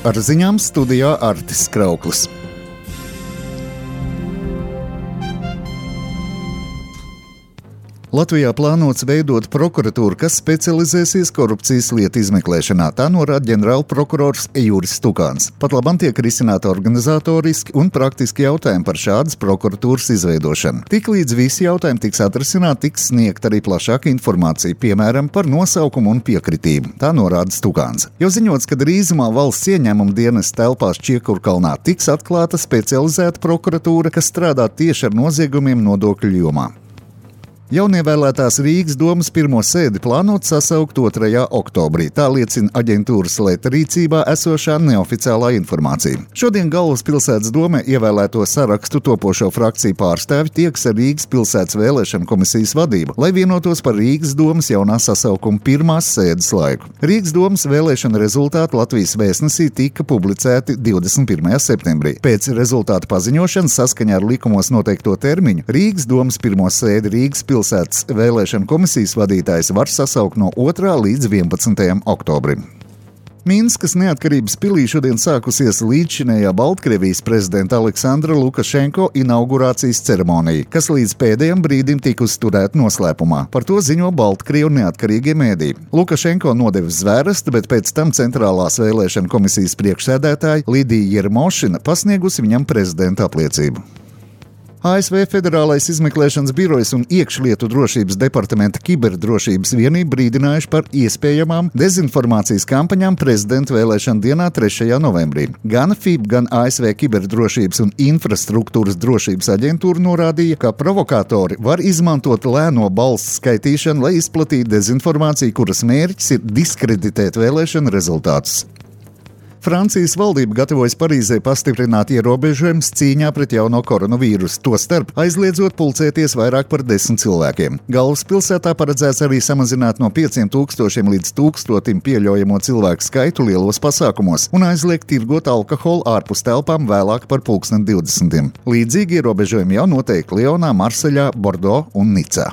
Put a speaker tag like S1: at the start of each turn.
S1: Ar ziņām studijā Artis Krauklis. Latvijā plānots veidot prokuratūru, kas specializēsies korupcijas lietu izmeklēšanā. Tā norāda ģenerālprokurors Juris Stukāns. Pat labam tiek risināti organizatoriski un praktiski jautājumi par šādas prokuratūras izveidošanu. Tiklīdz visi jautājumi tiks atrisināti, tiks sniegt arī plašāka informācija, piemēram, par nosaukumu un piekritību. Tā norāda Stukāns. Jau ziņots, ka drīzumā valsts ieņēmuma dienesta telpās Čiekurkalnā tiks atklāta specializēta prokuratūra, kas strādā tieši ar noziegumiem nodokļu jomā. Jaunievēlētās Rīgas domas pirmo sēdi plānot sasaukt 2. oktobrī. Tā liecina aģentūras Leta rīcībā esošā neoficiālā informācija. Šodien Galvaspilsētas domē ievēlēto sarakstu topošo frakciju pārstāvi tieks ar Rīgas pilsētas vēlēšanu komisijas vadību, lai vienotos par Rīgas domas jaunā sasaukuma pirmās sēdes laiku. Rīgas domas vēlēšana rezultāti Latvijas vēstnesī tika publicēti 21. septembrī. Pēc rezultātu paziņošanas saskaņā ar likumos noteikto termiņu Rīgas domas pirmo sēdi Rīgas pilsētas vēlēšanu komisijas vadītājs var sasaukt no 2. līdz 11. oktobrim. Minskas neatkarības pilī šodien sākusies līdzšinējā Baltkrievijas prezidenta Aleksandra Lukašenko inaugurācijas ceremonija, kas līdz pēdējam brīdim tika uzturēta noslēpumā. Par to ziņo Baltkrievu neatkarīgie mēdī. Lukašenko nodeva zvērestu, bet pēc tam centrālās vēlēšanu komisijas priekšsēdētāja Lidija Jermošina pasniegusi viņam prezidenta apliecību. ASV Federālais izmeklēšanas birojs un iekšlietu drošības departamenta kiberdrošības vienība brīdinājuši par iespējamām dezinformācijas kampaņām prezidenta vēlēšana dienā 3. novembrī. Gan FIB, gan ASV Kiberdrošības un infrastruktūras drošības aģentūra norādīja, ka provokatori var izmantot lēno balsu skaitīšanu, lai izplatītu dezinformāciju, kuras mērķis ir diskreditēt vēlēšanu rezultātus. Francijas valdība gatavojas Parīzē pastiprināt ierobežojumus cīņā pret jauno koronavīrusu, tostarp aizliedzot pulcēties vairāk par 10 cilvēkiem. Galvaspilsētā paredzēts arī samazināt no 5000 līdz 1000 pieļaujamo cilvēku skaitu lielos pasākumos un aizliegt tirgot alkoholu ārpus telpām vēlāk par 20. Līdzīgi ierobežojumi jau noteikti Lionā, Marseļā, Bordo un Nicā.